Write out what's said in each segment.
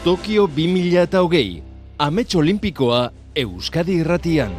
Tokio 2020, Amets Olimpikoa Euskadi Irratian.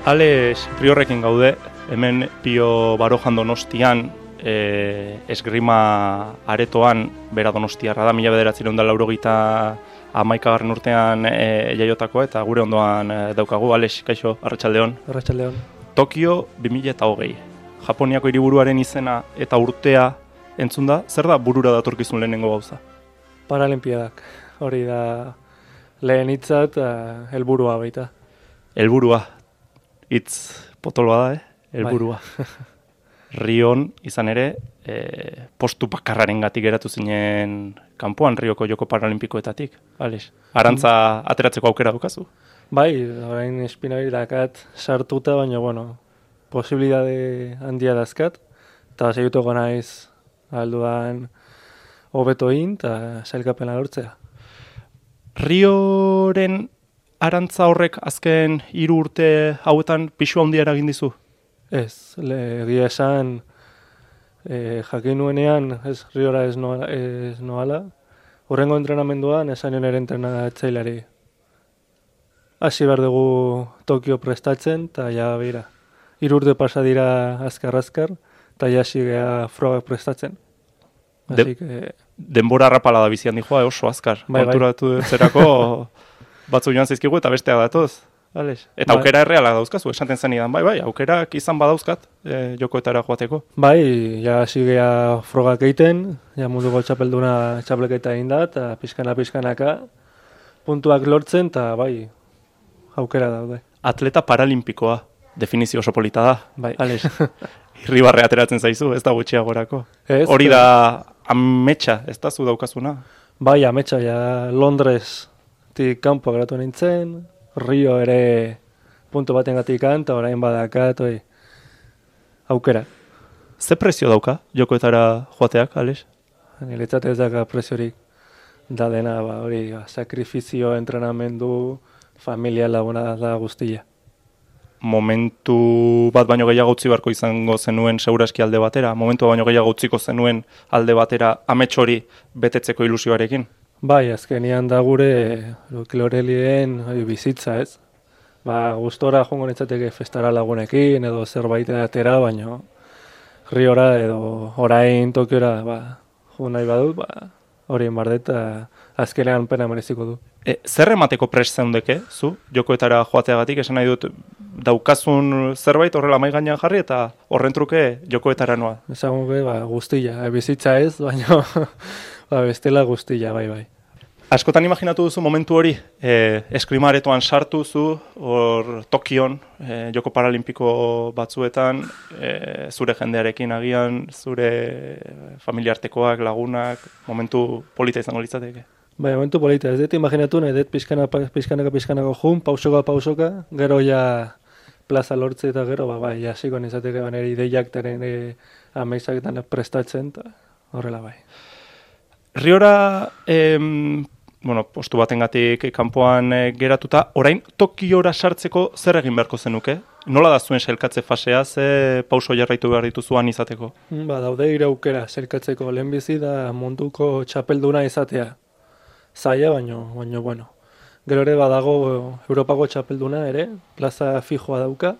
Alex Riorrekin gaude, hemen Pio Barojan Donostian, esgrima aretoan, bera donostiarra da, 1981 urtean jaiotakoa, eta gure ondoan daukagu. Alex, kaixo, arratsaldeon. Arratsaldeon. Tokio 2020. Japoniako hiriburuaren izena eta urtea entzun da, zer da burura datorkizun lehenengo gauza? Paralimpiadak, hori da lehen hitza eta helburua baita. Helburua, hitz potoloa da, helburua. Rion izan ere, postu bakarrarengatik geratu zinen kanpoan Rioko Joko Paralimpikoetatik, Alex. Arantza ateratzeko aukera dukazu? Bai, orain espinari dakat sartuta, baina, posibilitate handia dazkat, eta segituko naiz alduan hobeto egin eta sailkapena lortzea. Rioren arantza horrek azken 3 urte hauetan pisu handia eragin dizu? Ez, egia esan jakin nuenean Riora ez noala, horrengo entrenamenduan esan nire entrenatzaileari. Hasi behar dugu Tokio prestatzen, eta ja bera. 3 urte pasa dira azkar-azkar, eta ja hasi geha frogak prestatzen. Denbora rapala da bizian dijoa, oso azkar. Bai. Konturatu zerako batzu joan zaizkigu eta besteak datoz. Alex. Eta aukera erreala dauzkazu, esaten zenidan, bai, aukerak izan badauzkat jokoetara joateko. Bai, ja hasi geha frogak egiten, ja munduko txapelduna txapleketa egin da, eta pixkanaka puntuak lortzen, eta bai, aukera daude. Atleta paralimpikoa, definizio oso polita da, Bai. Alex. Irribarre ateratzen zaizu, ez da gutxiagorako. Hori da ametsa, ez da zu daukazuna? Bai, ametsa, ja Londresetik kanpo geratu nintzen, Rio ere puntu batengatik eta orain badakat, aukera. Ze prezio dauka jokoetara joateak, Alex? Niretzat ez daka preziorik da dena, hori, sakrifizio, entrenamendu, familia laguna da guztia. Momentu bat baino gehiago utzi beharko izango zenuen seguraski alde batera, momentu baino gehiago utziko zenuen alde batera amets hori betetzeko ilusioarekin? Bai, azkenian da gure Lorelien bizitza, ez? Gustora joango nintzateke festara lagunekin edo zerbait atera, baina Riora edo orain Tokiora jo nahi badut, horien bardet, azkenean pena mereziko du. Zer emateko prest zeundeke, zu, jokoetara joateagatik, esan nahi dut, daukazun zerbait horrela mai gainean jarri eta horren truke jokoetara noa? Esan guztia, bizitza ez, baina bestela guztia, bai. Askotan imaginatu duzu momentu hori, eskrima aretoan sartu zu, hor Tokion, Joko Paralimpiko batzuetan, zure jendearekin agian, zure familiartekoak, lagunak, momentu polita izango litzateke? Bai, momentu polita, ez dut imaginatu, nahi dut pixkanako jun, pausoka, gero ja plaza lortze eta gero, jasiko nizateke nire ideiak teren ameizaketan prestatzen, eta horrela bai. Riora, postu batengatik kanpoan geratuta, orain Tokiora sartzeko zer egin beharko zenuke? Nola da zuen sailkatze fasea, ze pauso jarraitu behar dituzuan izateko? Daude 3 aukera sailkatzeko, lehenbizi da munduko txapelduna izatea. Zaila, baino. Gero ere badago Europako txapelduna ere, plaza fijoa dauka,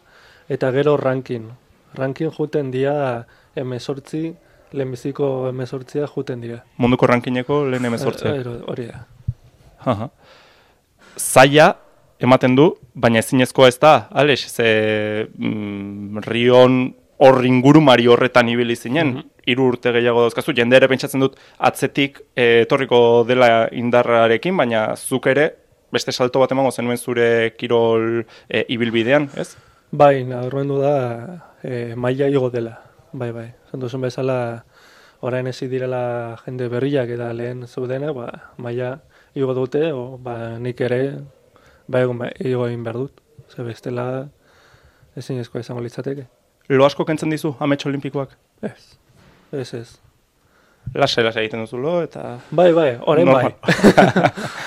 eta gero ranking. Ranking juten dira 18, lehenbiziko 18 juten dira. Munduko rankingeko lehen 18? Hori da. Zaila ematen du, baina ezinezkoa ez da, Alex, ze Rion hor ingurumari horretan ibili zinen, 3 urte gehiago dauzkazu, jende ere pentsatzen dut atzetik etorriko dela indarrarekin, baina zuk ere beste salto bat emango zenuen zure kirol ibilbidean, ez? Bai, nabarmendu da maila igo dela, bai. Zantuzun bezala orain ezi direla jende berriak eta lehen zeudena, maila igo dute, nik ere igo egin behar dut. Ze bestela ezinezkoa izango litzateke. Lo asko kentzen dizu Amets Olimpikoak? Ez. Lase egiten duzulo, eta... Bai, orain Normal. bai.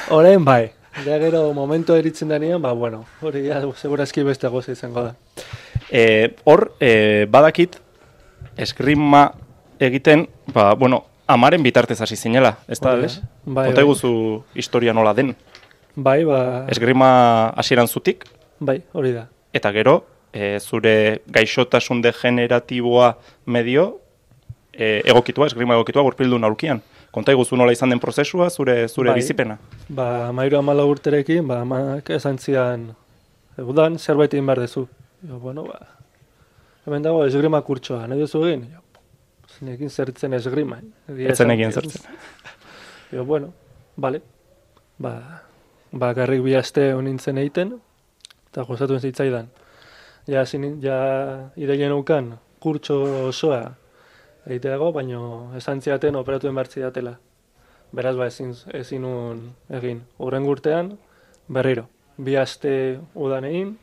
Orain bai. Ja gero momento eritzen denean, bueno, hori ja segurazki beste goza izango da. Hor, badakit, esgrima egiten, amaren bitartez hasi zinela, ez da, Alex? Bai, Konta iguzu historia nola den. Bai, Esgrima hasieran zutik, bai, hori da. eta gero, zure gaixotasun degeneratiboa medio, esgrima egokitua gurpildun aurkian. Konta iguzu nola izan den prozesua, zure bizipena. 14 urterekin, amak esan zidan, udan zerbait egin behar dezu. Hemen dago esgrima kurtsoa, nahi duzu egin? Zinekin zertzen esgrima. Etzen egin zertzen. Bale. Garrik 2 aste honintzen egiten, eta gozatu zitzaidan. Ja ideien ukan kurtso osoa egiteago, baino esan ziaten operatuen behar zidatela. Beraz, ezin nun egin. Hurrengo urtean, berriro. 2 aste udan egin,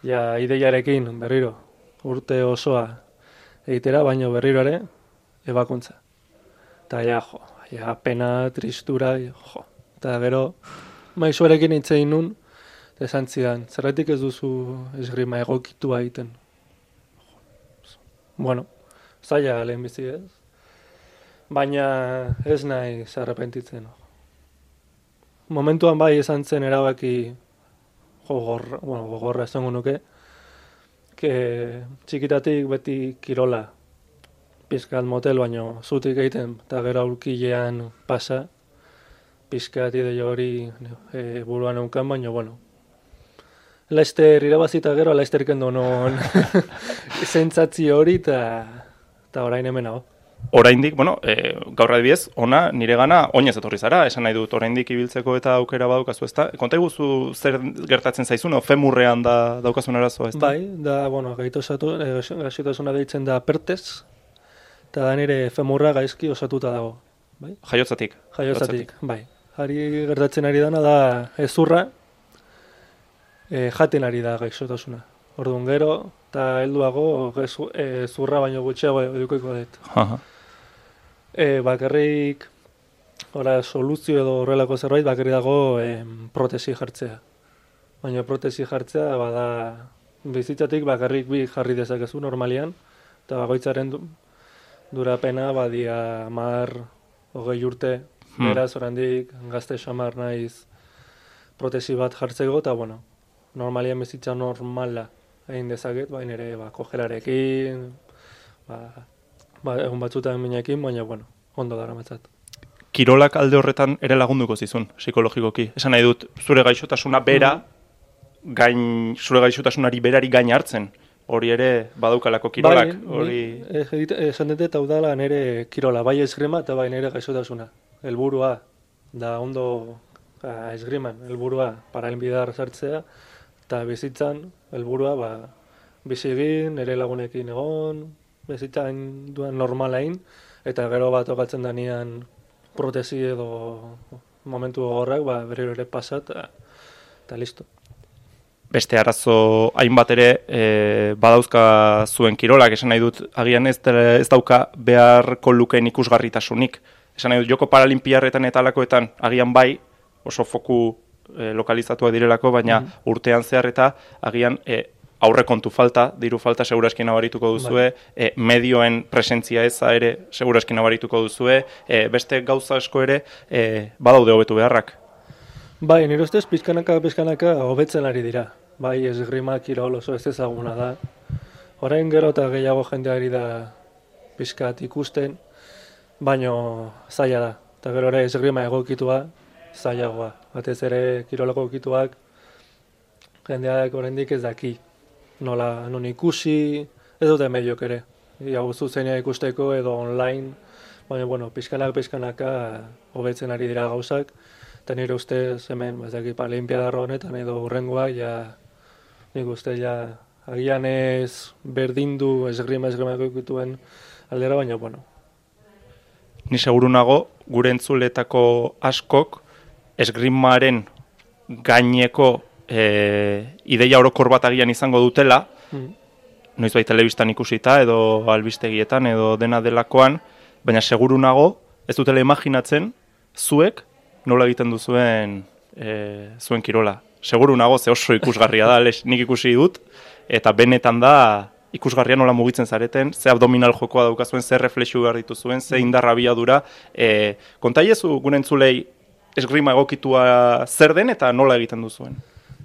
ideiarekin berriro urte osoa egitera, baino berriro ere ebakuntza. Eta pena, tristura, Eta gero, maizuarekin hitzein nun, esan zidan, zerratik ez duzu esgrima egokitua egiten. Zaila lehen bizi ez. Baina ez nahi zarrepentitzen. Momentuan bai esan zen erabaki gogorra esango nuke, txikitatik beti kirola pizkat motel, baino zutik egiten, eta gero aurkilean pasa, pizkat ideia hori buruan eunkan, baino, Leicester irabazita gero, Leicester kendo non zentzatzi hori, eta orain hemen hau. Oraindik, gaur adibidez, ona nire gana oinez etorri zara, esan nahi dut oraindik ibiltzeko eta aukera badukazu, ezta? Konta iguzu zer gertatzen zaizun, femurrean daukazun arazoa, ezta? Bai, gaixotasuna deitzen da pertez, eta da nire femurra gaizki osatuta dago. Bai? Jaiotzatik. Bai. Hari gertatzen ari dana da ezurra, jaten ari da gaixotasuna. Orduan gero, eta helduago zurra baino gutxiago edukiko dut. Bakarrik, soluzio edo horrelako zerbait, bakarrik dago protesi jartzea. Baina protesi jartzea, bizitzatik bakarrik 2 jarri dezakezu normalian, eta bakoitzaren durapena, 10-20 urte, beraz, orandik gazte xamar naiz protesi bat jartzeko, eta normalian bizitza normala egin dezaket, baina ere kojerarekin, egun batzutan minekin, baina ondo dara matzat. Kirolak alde horretan ere lagunduko zizun, psikologikoki. Esan nahi dut, zure gaixotasuna zure gaixotasunari berari gain hartzen, hori ere badaukalako kirolak. Esan dut eta udala nire kirola, bai esgrima eta bai nire gaixotasuna. Helburua da ondo esgriman, helburua paralinbidar sartzea, eta bizitzan, helburua, bizi egin, nire lagunekin egon, bizitzan duen normalain, eta gero bat okatzen danean protesi edo momentu horrek, berriro ere pasat, eta listo. Beste arazo hainbat ere badauzka zuen kirolak, esan nahi dut, agian ez dauka beharko lukeen ikusgarritasunik. Esan nahi dut, joko paralimpiarretan eta alakoetan, agian bai, oso foku lokalizatuak direlako, baina urtean zehar eta agian aurrekontu falta, diru falta seguraski nabarituko duzue, medioen presentzia eza ere seguraski nabarituko duzue, beste gauza asko ere badaude hobetu beharrak. Bai, nire ustez pizkanaka hobetzen ari dira. Bai, esgrima kirol oso ez ezaguna da. Orain gero eta gehiago jendeari da pizkat ikusten, baino zaila da. Eta gero ere esgrima egokitua zailagoa. Batez ere kirolako egokituak jendeak oraindik ez daki. Nola non ikusi, ez dute mediok ere. Iago zuzenean ikusteko edo online, baina pizkanaka hobetzen ari dira gauzak. Eta nire ustez hemen, paralimpiadar honetan edo hurrengoa, nik uste agian ez berdindu esgrima egokituen aldera, baina Ni seguru nago, gure entzuletako askok esgrimaren gaineko ideia orokor bat agian izango dutela, noizbait telebistan ikusita edo albistegietan edo dena delakoan, baina seguru nago, ez dutela imaginatzen, zuek nola egiten duzuen zuen kirola. Seguru nago, ze oso ikusgarria da, nik ikusi dut, eta benetan da ikusgarria nola mugitzen zareten, ze abdominal jokoa daukazuen, ze reflexu behar dituzuen, ze indarra abiadura. Kontaiezu gure entzulei esgrima egokitua zer den eta nola egiten duzuen?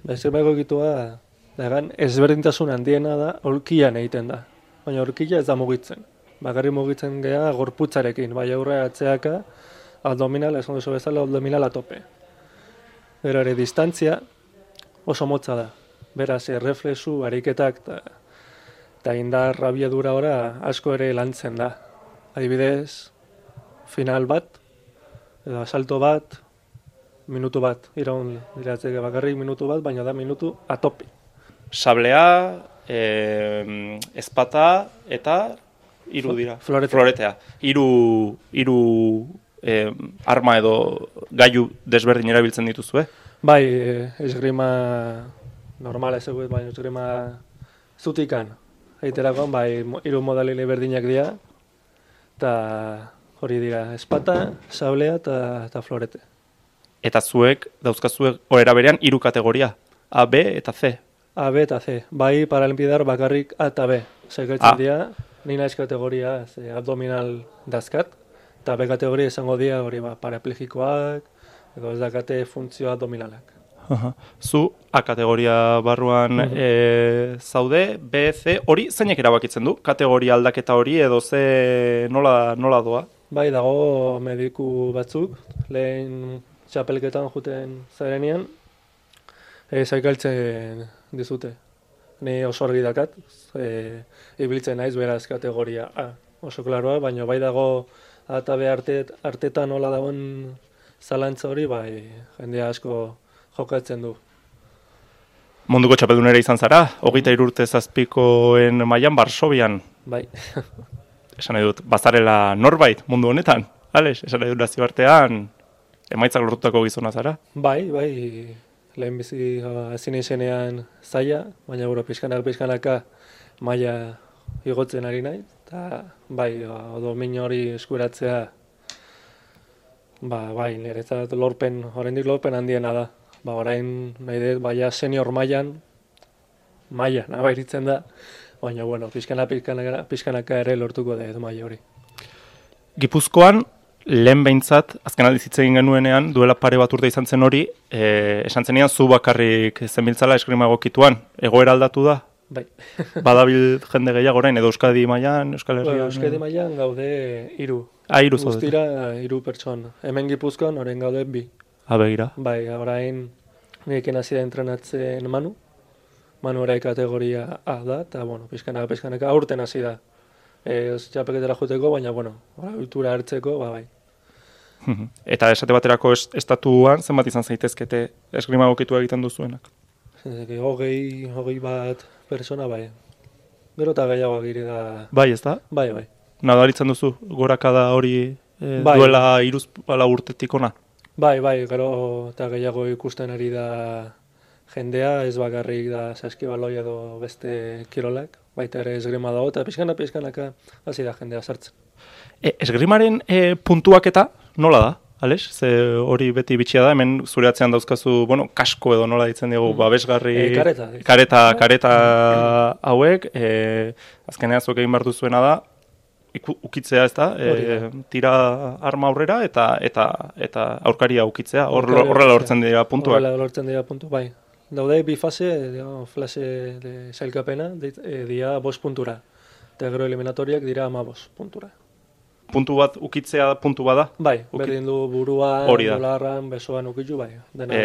Esgrima egokitua ezberdintasun handiena da, aulkian egiten da. Baina aulkia ez da mugitzen. Bakarrik mugitzen gea gorputzarekin, bai aurre atzeaka, abdominal, esan duzu bezala, abdominal atope. Gero ere distantzia oso motza da. Beraz, reflexu, ariketak eta indar abiadura ora asko ere lantzen da. Adibidez, final bat, edo asalto bat, minutu bat. Iraun diratzeke bakarrik minutu bat, baina da minutu atope. Sablea, ezpata eta hiru dira. Floretea. Hiru arma edo gailu desberdin erabiltzen dituzue? Bai, esgrima normala ez egut, baina esgrima zutikan. Eiterakoan, bai, hiru modalile berdinak dira, eta hori dira, ezpata, sablea eta florete. Eta zuek, dauzkazuek, horera berean, hiru kategoria, A, B eta C. A, B eta C. Bai, paralinpidar bakarrik A eta B. Zaikertzen dira, ni naiz kategoria abdominal dazkat, eta B kategoria izango dira hori paraplegikoak, edo ez dakate funtzio abdominalak. Zu A kategoria barruan zaude, B, C, hori zeinek erabakitzen du? Kategoria aldaketa hori edo ze nola doa? Bai, dago mediku batzuk, lehen txapelketan juten zarenean, zaikaltzen dizute. Ni oso argi dakat, ibiltzen naiz beraz kategoria A. Oso klaroa, baina bai dago A eta B artetan nola dagoen zalantza hori, bai jendea asko jokatzen du. Munduko txapeldunera izan zara, 23 urte zazpikoen mailan Varsovian. Bai. Esan nahi dut, bazarela norbait mundu honetan, Alex, esan nahi dut nazioartean emaitzak lortutako gizona zara? Bai, lehen bizi hasi izenean zaila, baina pixkanaka maila igotzen ari nahi, eta bai, domin hori eskuratzea, bai, niretzat oraindik lorpen handiena da. Orain nahi dut, baina senior mailan nabaritzen da, baina, bueno, pixkanaka ere lortuko dut maila hori. Gipuzkoan, lehen behintzat, azken aldiz hitz egin genuenean, duela pare bat urte izan zen hori, esan zenean zu bakarrik zenbiltzala eskrima egokituan, egoera aldatu da? Bai. Badabil jende gehiago orain, edo Euskadi mailan, Euskal Herrian? Euskadi mailan gaude 3. Hiru zaudete. Guztira 3 pertsona. Hemen Gipuzkoan orain gaude 2. Begira. Bai, orain nirekin hasi da entrenatzen Manu. Manu ere kategoria A da, eta, bueno, pixkanaka aurten hasi da. Txapelketara joteko, baina, bueno, ohitura hartzeko, bai. Eta esate baterako estatuan, zenbat izan zaitezkete esgrima egokitu egiten duzuenak? 20 bat pertsona, bai. Gero eta gehiago gire da... Bai, ez da? Bai. Nadaritzen duzu, gorakada hori duela 3 urtetik ona? Bai, gero eta gehiago ikusten ari da jendea, ez bakarrik da saskibaloi edo beste kirolak, baita ere esgrima dago, eta pixkanaka hasi da jendea sartzen. Esgrimaren puntuaketa nola da, Alex? Ze hori beti bitxia da, hemen zure atzean dauzkazu, bueno, kasko edo nola ditzen dugu, babesgarri... Kareta hauek, azkenean zuek egin behar duzuena da, ukitzea ez da, tira arma aurrera eta aurkaria ukitzea, horrela lortzen dira puntuak. Horrela lortzen dira puntu, bai. Daude bi fase, fase de sailkapena, dira 5 puntura, eta gero eliminatoriak dira 15 puntura. Puntu bat ukitzea puntu bada? Bai, berdin du buruan, dolarran, besoan ukitu, bai.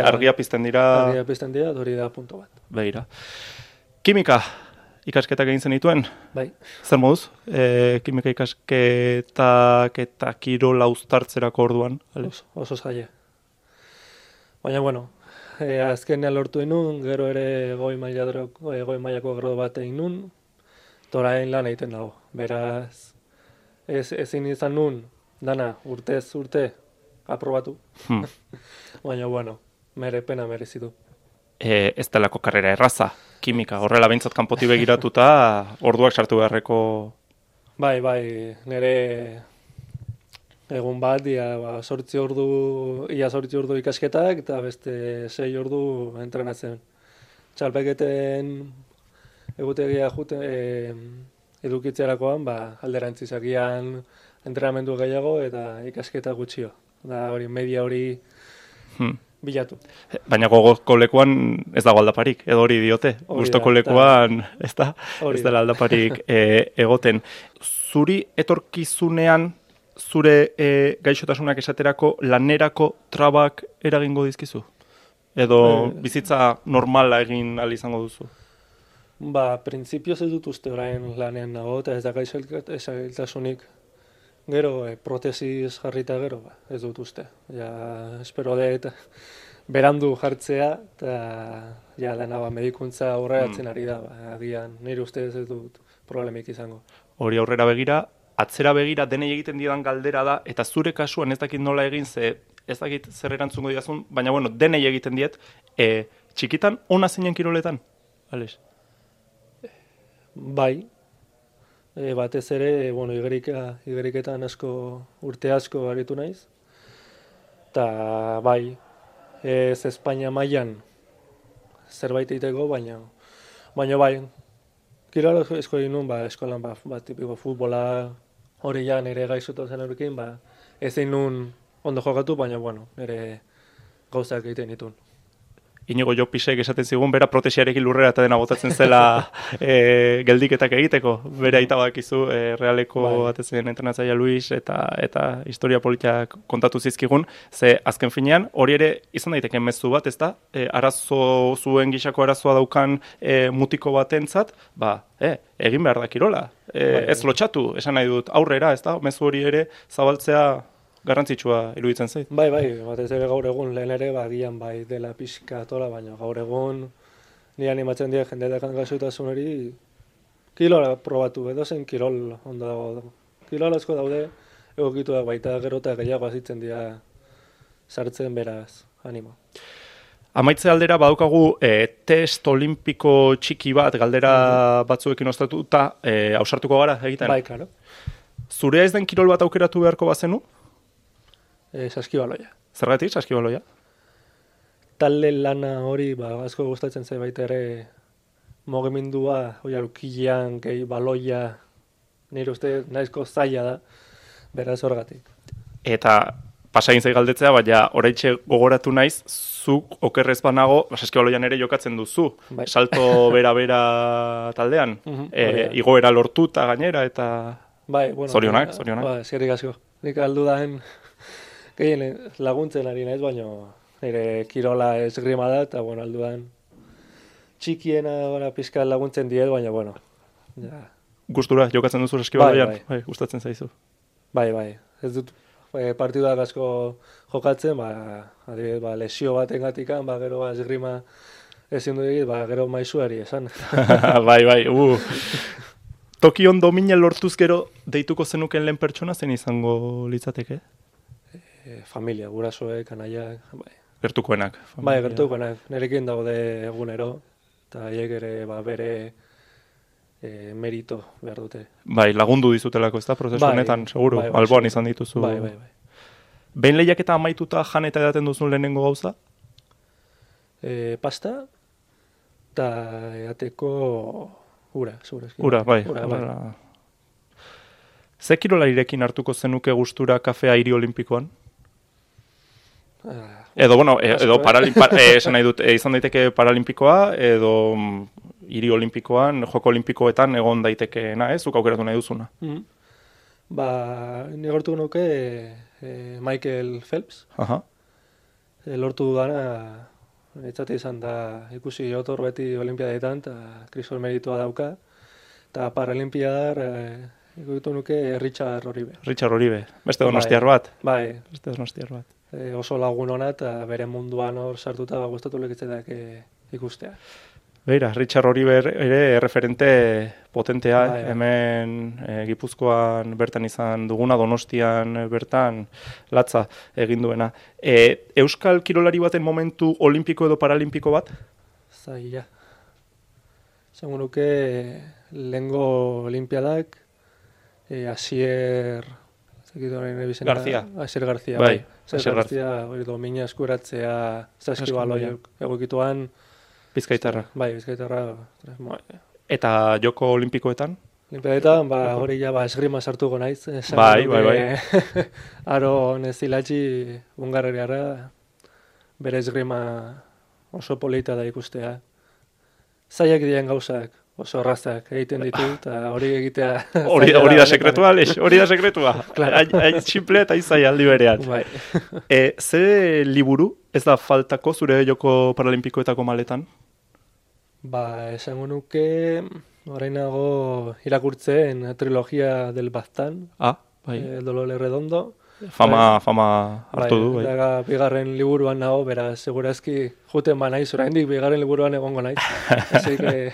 Argia pizten dira... Argia pizten dira, hori da puntu bat. Begira. Kimika, ikasketak egin zenituen? Bai. Zer moduz? Kimika ikasketak eta kirola uztartzerako orduan? Oso zaila. Baina, bueno, azkenean lortu inun, gero ere goi mailako grado bat egin nun, torain lan egiten dago. Beraz, ezin izan nun, dana, urtez urte, aprobatu. Baina, bueno, pena merezitu. Ez delako karrera erraza, kimika, horrela behintzat kanpotik begiratuta, orduak sartu beharreko... Bai, nire Egun bat, ia 8 ordu ikasketak, eta beste 6 ordu entrenatzen. Txalpeketen egutegia edukitzerakoan, alderantzizakian entrenamendu gehiago eta ikasketa gutxio. Da hori, media hori bilatu. Baina gogoko lekuan ez dago aldaparik, edo hori diote. Gustoko lekuan ez dela aldaparik egoten. Zuri etorkizunean, zure gaixotasunak esaterako lanerako trabak eragingo dizkizu? Edo bizitza normala egin ahal izango duzu? Printzipioz ez dut uste orain lanean nago, eta ez da gaixotasunik. Gero, protesiz jarrita gero, ez dut uste. Ja, espero dut berandu jartzea, eta dena medikuntza aurreratzen ari da. Agian, nire ustez ez dut problemik izango. Hori aurrera begira, atzera begira denei egiten didan galdera da, eta zure kasuan ez dakit nola egin, ez dakit zer erantzungo didazun, baina denei egiten diet, txikitan ona zinen kiroletan, Alex? Bai, batez ere, igeriketan urte asko aritu naiz, eta bai, ez Espainia mailan zerbait egiteko, baina bai, kirola esko egin nuen, eskolan, tipiko futbola, hori ja nire gaixotasun horrekin, ezin nuen ondo jokatu, baina, nire gauzak egiten ditun. Inigo Jopisek esaten zigun, bera protesiarekin lurrera eta dena botatzen zela geldiketak egiteko. Bera aita badakizu, Realeko batezen entrenatzailea Luis eta historia politak kontatu zizkigun, ze azken finean, hori ere izan daiteke mezu bat, ezta? Zuen gisako arazoa daukan mutiko batentzat, egin behar da kirola. Ez lotxatu, esan nahi dut, aurrera, ezta? Mezu hori ere zabaltzea garrantzitsua iruditzen zait. Bai, batez ere gaur egun lehen ere, gian dela pixka tola, baina gaur egun ni animatzen dira jendeetan gaixotasun hori kilola probatu, edo zen kirol ondo dago. Kirol asko daude, egokitu da baita gero eta gehiago azitzen dira sartzen beraz, animo. Amaitze aldera badaukagu test olimpiko txiki bat, galdera batzuekin ostatuta, ausartuko gara egiten? Bai, karo. Zurea ez den kirol bat aukeratu beharko bazenu? Saskibaloia. Zergatik, saskibaloia? Talde lana hori, asko gustatzen zait baita ere mugimendua, ukilean, gehi baloia, nire uste nahizko zaila da, beraz horregatik. Eta pasain zai galdetzea, baina oraitxe gogoratu naiz, zuk okerrez banago, saskibaloian ere jokatzen duzu. Bai. Salto bera taldean. Igoera lortuta gainera, eta zorionak. Eskerrik asko. Nik aldudaen gehien laguntzen ari naiz, baina nire kirola esgrima da, eta aldudan txikiena pizka laguntzen diet, baina Gustura jokatzen duzu saskibaloian? Bai, gustatzen zaizu. Bai. Ez dut partiduak asko jokatzen, adibidez, lesio batengatikan, gero esgrima ezin du egit, gero maizuari esan. Bai. Tokion domina lortuz gero deituko zenuken lehen pertsona zen izango litzateke? Familia, gurasoek, anaiak, bai. Gertukoenak. Bai, gertukoenak. Nerekin daude egunero, eta haiek ere bere merito behar dute. Bai, lagundu dizutelako, ez da, prozesu honetan, seguru, alboan izan dituzu. Bai. Behin lehiaketa amaituta jan eta edaten duzun lehenengo gauza? Pasta, eta edateko ura, segurazki. Ura, bai. Ze kirolarirekin hartuko zenuke gustura kafea hiri olimpikoan? Edo esan nahi dut, izan daiteke paralimpikoa, edo hiri olimpikoan, joko olimpikoetan egon daitekeena, zuk aukeratu nahi duzuna. Ni gortu nuke Michael Phelps. Lortu dudana, etzate izan da ikusi otor beti olimpiadetan, eta krisol meritua dauka, eta paralimpiadar ikutu nuke Richard Oribe. Richard Oribe, beste donostiar bat. Bai. Beste donostiar bat. Oso lagun hona eta bere munduan hor sartuta gustatu lekitzetak ikustea. Beira, Richard Oribe ere referente potentea, hemen Gipuzkoan bertan izan duguna, Donostian bertan latza egin duena. Euskal kirolari baten momentu olimpiko edo paralimpiko bat? Zaila. Zango nuke lehengo olimpiadak, Asier zekit horrein ebizena. García. Asier García, Bai, Asier Asier García, hori domina eskuratzea saskibaloi egokituan. Bizkaitarra. Bai, Bizkaitarra. Eta joko olimpikoetan? Olimpiadetan, hori ja esgrima sartuko naiz. Bai. Aro nezilatxi Hungarriarra, bere esgrima oso polita da ikustea. Zaiak diren gauzak, oso arrazak egiten ditu, eta hori egitea... Hori da sekretua, Aleix, hori da sekretua. Hain tximple eta izai aldi berean. Bai. Ze liburu ez da faltako zure joko paralimpikoetako maletan? Esango nuke, orainago irakurtzen trilogia del Baztan, bai. El Dolor Redondo. Fama hartu du, bai. Eta bigarren liburuan nago, beraz, segurazki juten naiz, oraindik bigarren liburuan egongo naiz. Así que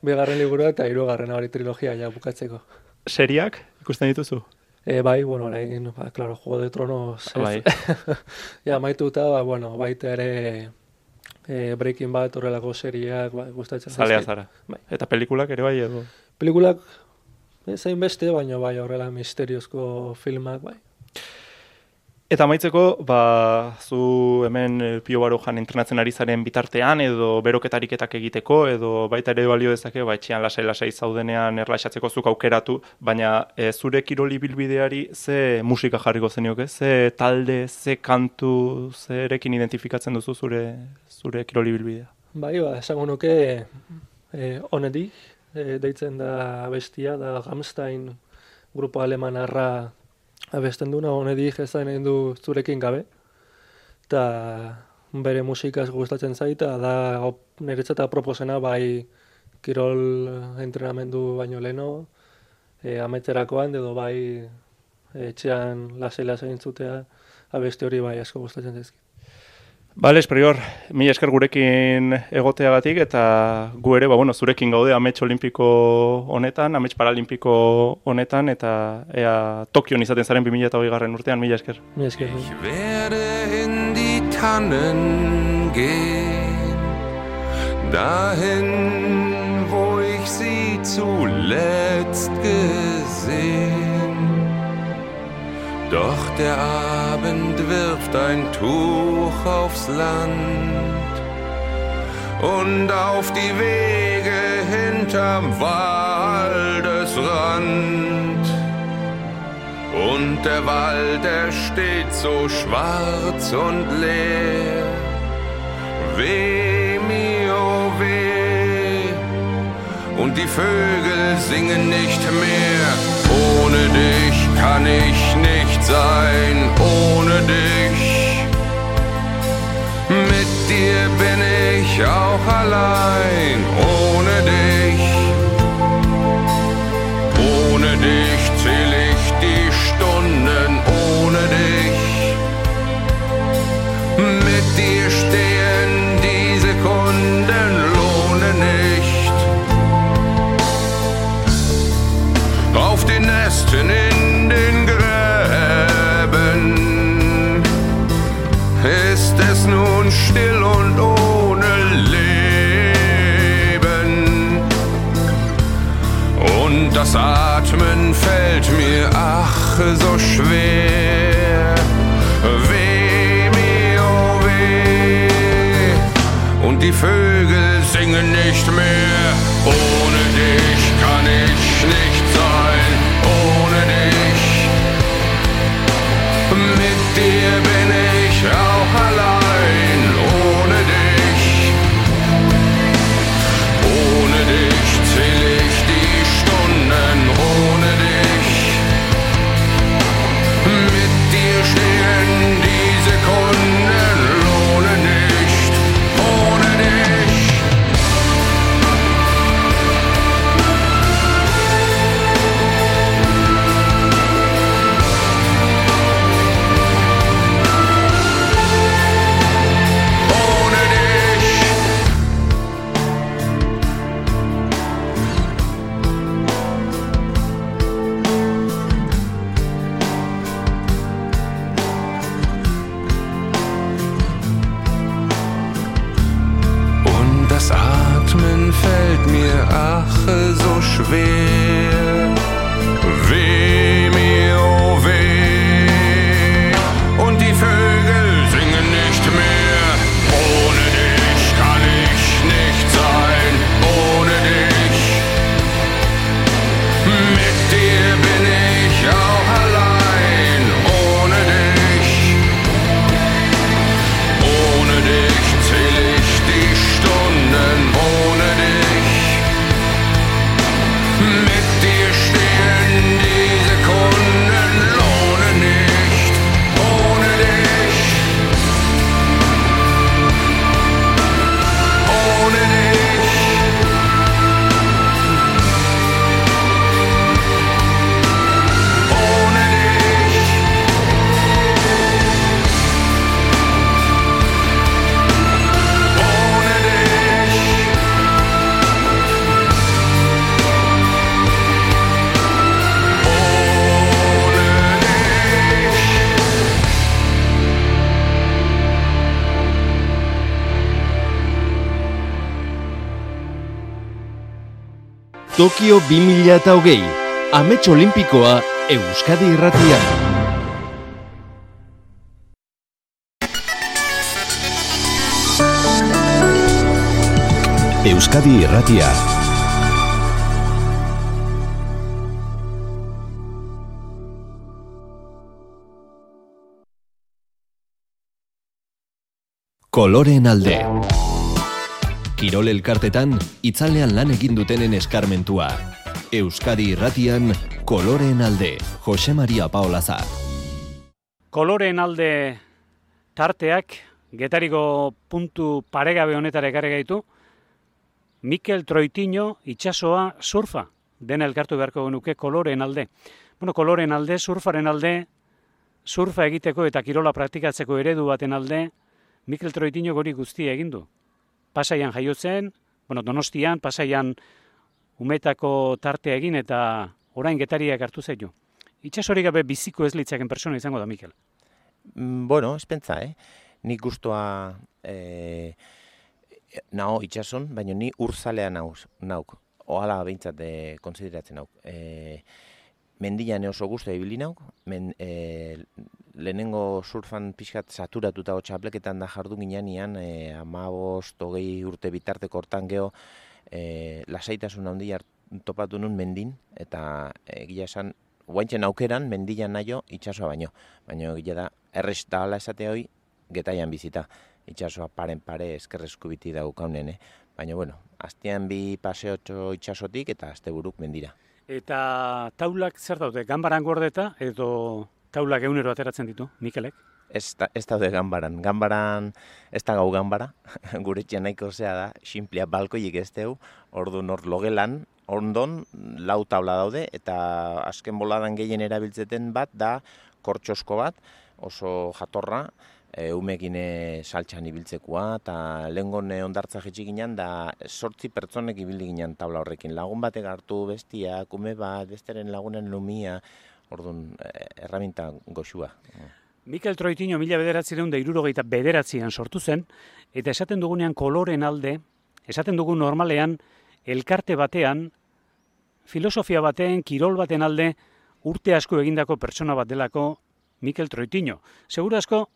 bigarren liburua eta hirugarren hori trilogia ja bukatzeko. Seriak ikusten dituzu? Bai, orain, claro, Juego de Tronos. Bai. Ja, maituta, baita ere Breaking Bad horrelako seriak gustatzen. Zalea zara. Bai. Eta pelikulak ere bai edo? Pelikulak zain beste, baina bai horrela misteriozko filmak, bai. Eta amaitzeko, zu hemen Pio Barojan entrenatzen ari zaren bitartean, edo beroketariketak egiteko, edo baita ere balio dezake, etxean lasai zaudenean erlaxatzeko zuk aukeratu, baina zure kiroli bilbideari ze musika jarriko zenioke? Ze talde, ze kantu, zerekin identifikatzen duzu zure kiroli bilbidea? Bai, esango nuke Onedik, deitzen da bestia, da Rammstein grupo alemanarra abesten duna, Onedik ezain egin du zurekin gabe, eta bere musikaz gustatzen zaita, da niretzat proposena bai kirol entrenamendu baino leno, ametzerakoan, edo bai etxean lasai entzutea, abesti hori bai asko gustatzen zaizkit. Bale, Prior, mila esker gurekin egoteagatik, eta gu ere, zurekin gaude amets olimpiko honetan, amets paralimpiko honetan, eta ea Tokion izaten zaren 2020 urtean, mila esker. Mila esker. Ich werde in die Tannen gehen, dahin, wo ich sie zuletzt gesehen. Doch der Abend wirft ein Tuch aufs Land und auf die Wege hinterm Waldesrand. Und der Wald, der steht so schwarz und leer. Weh mir, oh weh, und die Vögel singen nicht mehr. Ohne dich kann ich nicht sein, ohne dich. Mit dir bin ich auch allein, ohne dich. Ohne dich zähl ich die Stunden, ohne dich. Mit dir stehen die Sekunden, lohne nicht. Auf den Nesten in den Gräben ist es nun still und ohne Leben. Und das Atmen fällt mir ach so schwer. Weh mir, oh weh, und die Vögel singen nicht mehr. Ohne dich kann ich nicht sein, ohne dich. Mit dir bin ich auch allein, ohne dich. Ohne dich zähl ich die Stunden, ohne dich. Mit dir stehen die Sekunden, lohne nicht, ohne dich. Das Atmen fällt mir ach so schwer. Weh mir, oh weh, Tokio 2020, Amets Olimpikoa Euskadi Irratian. Euskadi Irratia. Koloreen alde. Kirol elkartetan, itzalean lan egin dutenen eskarmentua. Euskadi Irratian, Koloreen alde, Jose Maria Paolaza. Koloreen alde tarteak, Getariko puntu paregabe honetara ekarri gaitu, Mikel Troitiño itsasoa surfa, dena elkartu beharko genuke koloreen alde. Bueno, koloreen alde, surfaren alde, surfa egiteko eta kirola praktikatzeko eredu baten alde, Mikel Troitiño hori guztia egin du. Pasaian jaiotzen, Donostian, Pasaian umetako tartea egin eta orain Getariak hartu zaitu. Itsasorik gabe biziko ez litzaken persona izango da, Mikel. Ez pentsa, Nik guztua nao itsason, baina ni urzalea nauk. Ohala behintzat konsideratzen nauk. Mendian oso guztua ibili nauk. Lehenengo surfan pixkat saturatuta txapleketan da jardu ginean, 15-20 urte bitarteko hortan geho, lasaitasun handia topatu nun mendin, eta egia esan, guaintzen aukeran mendian naio itsasoa baino. Baina egia da, errez da ala esate hoi, Getaian bizita. Itsasoa paren pare eskerrezku biti daukaunen, Baina, astean bi paseotxo itsasotik eta asteburuk mendira. Eta taulak zer daude, ganbaran gordeta edo taulak egunero ateratzen ditu, Mikelek? Ez daude ganbaran. Ganbaran, ez da gau ganbara, gure etxean nahiko zea da, sinplea balkoiek ez deu, orduan hor logelan, ondon, 4 taula daude, eta azken boladan gehien erabiltzeten bat da kortxosko bat, oso jatorra, umekin saltxan ibiltzekoa, eta lehengon ondartza jetxik ginen, da 8 pertsonek ibili ginen taula horrekin. Lagun batek hartu bestia, kume bat, besteren lagunen lumia, orduan erraminta goxua. Mikel Troitiño 1969an sortu zen, eta esaten dugunean koloreen alde, esaten dugu normalean, elkarte batean, filosofia baten, kirol baten alde, urte asko egindako pertsona bat delako Mikel Troitiño. Seguru asko,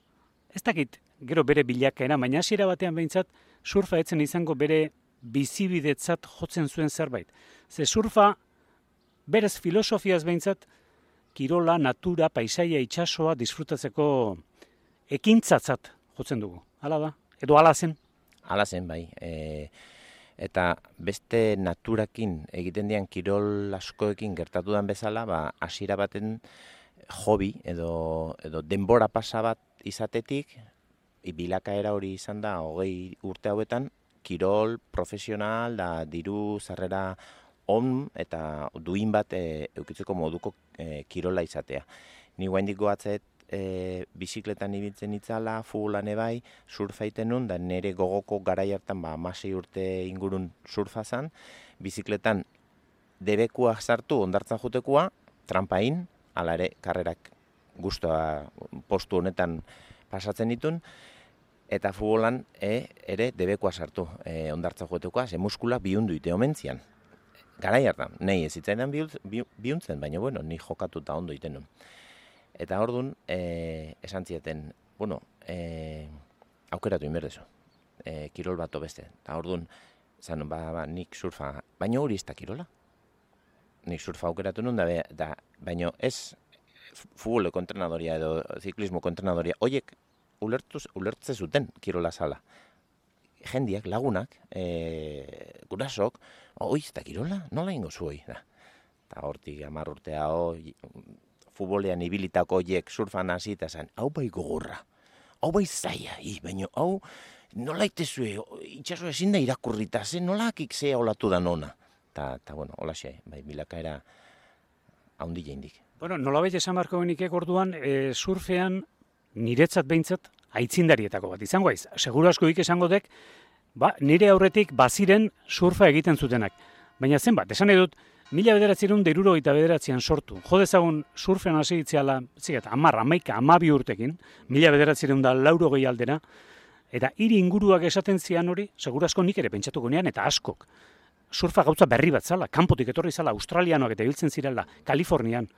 ez dakit gero bere bilakaera, baina hasiera batean behintzat surfa etzen izango bere bizibidetzat jotzen zuen zerbait. Ze surfa, berez filosofiaz behintzat, kirola, natura, paisaia, itsasoa disfrutatzeko ekintzatzat jotzen dugu. Hala da? Edo hala zen? Hala zen, bai. Eta beste naturakin egiten dian kirol askoekin gertatu den bezala, hasiera baten hobi edo denbora pasa bat izatetik, bilakaera hori izan da 20 urte hauetan, kirol profesional da diru sarrera on eta duin bat eukitzeko moduko kirola izatea. Ni guaindik goatzet bizikletan ibiltzen itzala, futbolan bai, surfa iten nun, da nire gogoko garai hartan 16 urte ingurun surfa zan, bizikletan debekua sartu ondartzan jutekoa, trampain, hala ere karrerak guztua postu honetan pasatzen ditun, eta futbolan ere debekua sartu ondartzan jutekoa, ze muskula bihundu ite omentzian. Garai hartan, nahi ez zitzaidan bihuntzen, baina ni jokatuta ondo iten nun. Eta orduan, esan zieten, aukeratu inberdezu, kirol bat beste. Eta orduan, zan, nik surfa, baina hori ez da kirola. Nik surfa aukeratu nun, baina ez futboleko entrenadoria edo ziklismoko entrenadoria, horiek ulertze zuten kirola zala. Jendiak, lagunak, gurasok, ez da kirola, nola ingo zu hori? Eta hortik 10 urtea, futbolean ibilitako horiek surfan hasi eta zen, hau bai gogorra, hau bai zaila, baina hau nola itezue, itxaso ezin da irakurrita, nola akik zea olatu da nona. Eta hola xe, bai, bilakaera haundi jeindik. Nolabait esan barko genikek orduan, surfean niretzat behintzat aitzindarietako bat izango aiz. Seguru asko esango dek, nire aurretik baziren surfa egiten zutenak. Baina zenbat, esan edut, 1979an sortu. Jo dezagun surfean hasi itziala, 10, 11, 12 urtekin, 1980 aldera, eta hiri inguruak esaten zian hori, seguru asko nik ere pentsatuko nean, eta askok. surfa gauza berri bat zala, kanpotik etorri zala, australianoak eta ibiltzen zirela, Kalifornian.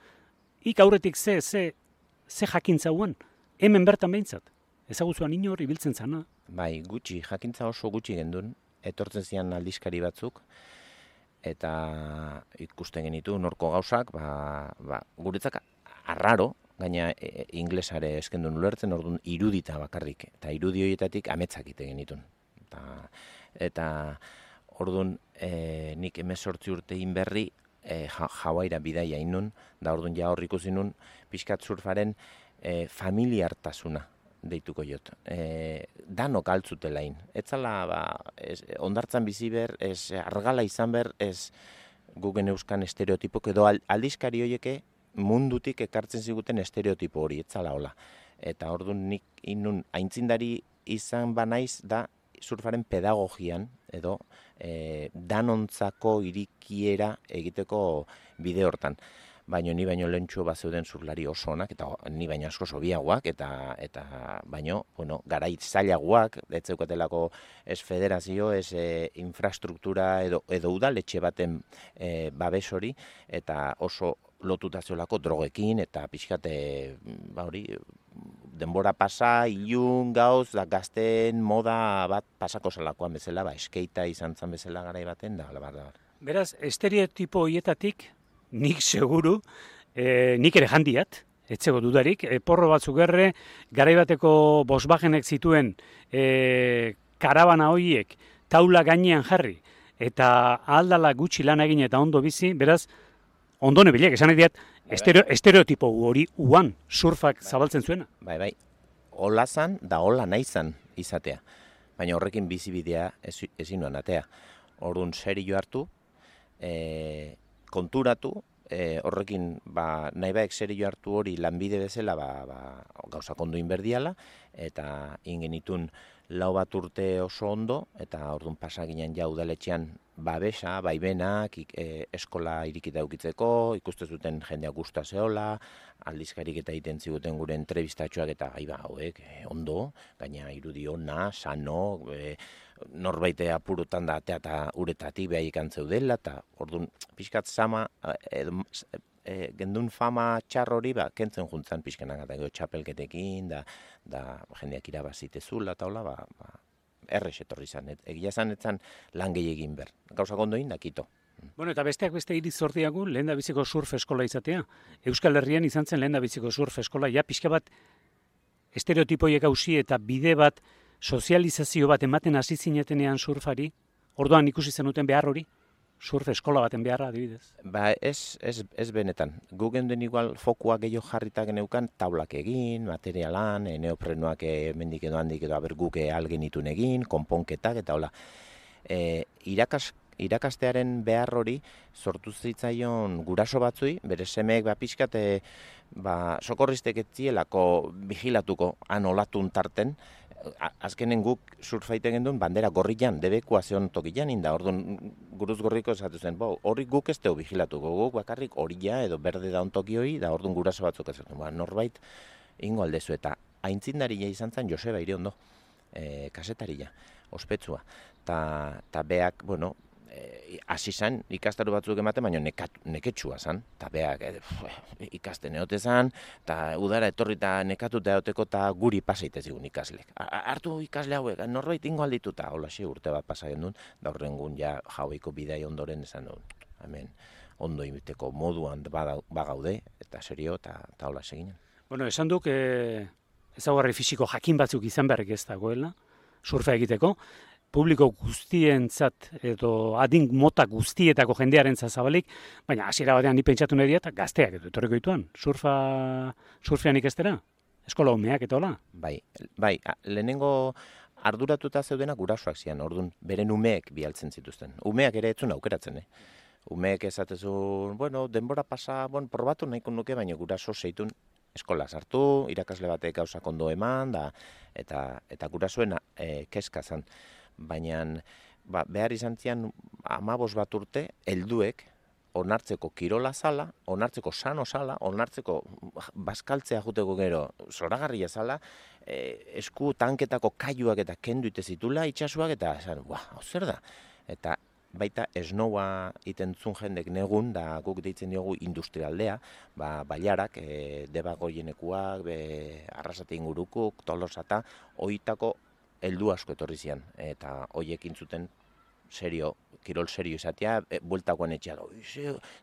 Ik aurretik ze jakintza huen, hemen bertan behintzat. Ezaguzuan inor ibiltzen zana. Bai, gutxi, jakintza oso gutxi gendun, etortzen zian aldizkari batzuk, eta ikusten genitu norko gauzak, guretzak arraro, gaina inglesare eskendun ulertzen, orduan irudita bakarrik, eta irudi horietatik ametzak ite genitun. Eta orduan nik 18 urte inberri Hawaira bidaia inun, da orduan ja hor ikusi nun pixkat surfaren familiartasuna deituko jot. Danok altzutelain. Etzala, ondartzan bizi ber, ez argala izan ber, ez gugen euskan estereotipok, edo aldizkari horieke mundutik ekartzen ziguten estereotipo hori, etzala hola. Eta orduan nik inun aintzindari izan banaiz da surfaren pedagogian, edo danontzako irikiera egiteko bide hortan. Baina ni baino lehentxo bat zeuden surlari oso onak, eta ni baino asko sobiagoak, eta baino, garait zailagoak, ez zeukatelako ez federazio, ez infrastruktura edo udaletxe baten babes hori, eta oso lotuta zeolako drogekin, eta pixkate, denbora pasa, ilun, gauz, da gazten moda bat pasako zelakoan bezala, eskeita izan zan bezala garai baten, da. Beraz, estereotipo hietatik, nik seguru, nik ere jandiat, etzego dudarik, porro batzuk erre, garaibateko Volkswagenek zituen karabana horiek taula gainean jarri, eta ahaldala gutxi lan egin eta ondo bizi, beraz, ondo nebilek, esan egiat, estereotipo hori uan surfak zabaltzen zuena. Bai, hola zan da hola nahi zan izatea, baina horrekin bizibidea ezin nuen atea. Orduan serio hartu, konturatu, horrekin nahi baek serio hartu hori lanbide bezala gauzak ondo inberdiala, eta ingenitun 4 bat urte oso ondo, eta orduan pasaginen ja udaletxean babesa, baibenak, eskola irikita eukitzeko, ikuste zuten jendea gusta zeola, aldizkarik eta egiten ziguten gure entrevistatxoak eta hauek, ondo, gaina irudi ona, sano, norbaite apurutan da atea eta uretatik behar ikantzeu dela, eta orduan pixkat sama, gendun fama txar hori, kentzen juntzan pixkenak, eta txapelketekin, da jendeak irabazitezula, eta hola, errex etorri zan, egia zan etzan lan gehiagin ber. Gauzak ondoin dakito. Bueno, eta besteak beste iriz zordiagu lehen da biziko surf eskola izatea. Euskal Herrian izan zen lehen da biziko surf eskola, ja pixka bat estereotipoiek hausi eta bide bat sozializazio bat ematen hasi zinetenean surfari, orduan ikusi zenuten behar hori, surf eskola baten beharra adibidez. Ez benetan. Gu genden igual fokua gehiago jarrita geneukan taulak egin, materialan, neoprenoak mendik edo handik edo aberguke algenitun egin, konponketak eta hola. Irakastearen behar hori sortu zitzaion guraso batzui, bere semeek pixkat sokorristek etzielako vigilatuko han olatun tarten, azkenen guk surfaiten gendun bandera gorrian, debekua zeon tokian inda, orduan guruz gorriko esatu zen, hori guk ez teo vigilatuko, guk bakarrik horia edo berde da ontoki hori, da orduan guraso batzuk ez norbait ingo aldezu, eta aintzindaria izan zen Joseba Iriondo, kasetaria, ospetsua, eta beak, hasi zen ikastaru batzuk ematen, baina neketsua zen, eta beak ikasten eote zen, eta udara etorri eta nekatuta eoteko eta guri pasaitez egun ikaslek. Hartu ikasle hauek, norbait ingo aldituta, hola urte bat pasaien duen, da horrengun ja jaueko bidai ondoren esan duen, hemen ondo imiteko moduan bagaude, eta serio, eta hola seginen. Bueno, esan duk, ezaugarri fisiko jakin batzuk izan beharrik ez dagoela, surfa egiteko, publiko guztientzat edo adin mota guztietako jendearentzat zabalik, baina hasiera batean ni pentsatu nahi diat gazteak edo etorriko dituan. Surfean ikestera? Eskola umeak eta hola? Bai, lehenengo arduratuta zeudenak gurasoak zian, orduan beren umeek bialtzen zituzten. Umeak ere etzun aukeratzen, Umeek esatezu, denbora pasa, probatu nahiko nuke, baina guraso zeitun eskola sartu, irakasle batek gauzak ondo eman, eta gurasoen kezka zan. Baina behar izan zian 15 bat urte, helduek onartzeko kirola zala, onartzeko sano zala, onartzeko bazkaltzea juteko gero zoragarria zala, esku tanketako kaiuak eta kendu ite zitula itxasuak, eta esan, zer da? Eta baita esnoua itentzun jendek negun, da guk deitzen diogu industrialdea, bailarak, Debagoienekuak, Arrasate ingurukuk, Tolosata, hoitako heldu asko etorri zian, eta hoiekin zuten serio, kirol serio izatea, bueltakoan etxea,